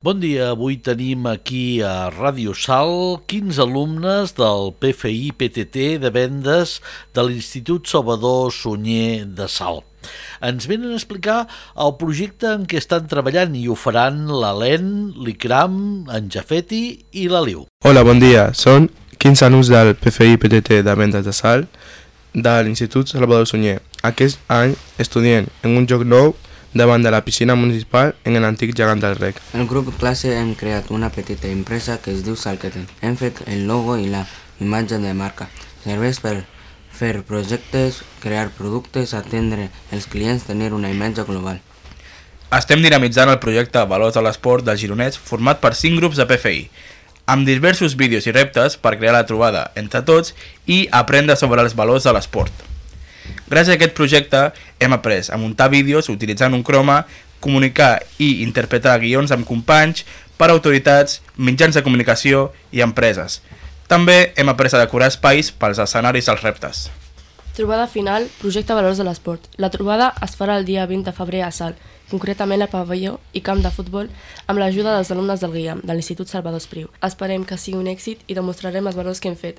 Bon dia, avui tenim aquí a Ràdio Sal 15 alumnes del PFI-PTT de vendes de l'Institut Salvador Sunyer de Salt. Ens venen a explicar el projecte en què estan treballant i ho faran l'Helene, l'Ikram, en Jafeti i l'Aliu. Hola, bon dia. Són 15 alumnes del PFI-PTT de vendes de Salt de l'Institut Salvador Sunyer. Aquest any estudien en un joc nou davant de la piscina municipal en l'antic gegant del rec. El grup classe hem creat una petita empresa que es diu Salketen. Hem fet el logo i la imatge de marca. Serveix per fer projectes, crear productes, atendre els clients, tenir una imatge global. Estem dinamitzant el projecte Valors de l'Esport del Gironès format per 5 grups de PFI, amb diversos vídeos i reptes per crear la trobada entre tots i aprendre sobre els valors de l'esport. Gràcies a aquest projecte hem après a muntar vídeos utilitzant un croma, comunicar i interpretar guions amb companys per a autoritats, mitjans de comunicació i empreses. També hem après a decorar espais pels escenaris dels reptes. Trobada final, projecte Valors de l'Esport. La trobada es farà el dia 20 de febrer a Salt, concretament al pavelló i camp de futbol, amb l'ajuda dels alumnes del GIAM, de l'Institut Salvador Espriu. Esperem que sigui un èxit i demostrarem els valors que hem fet.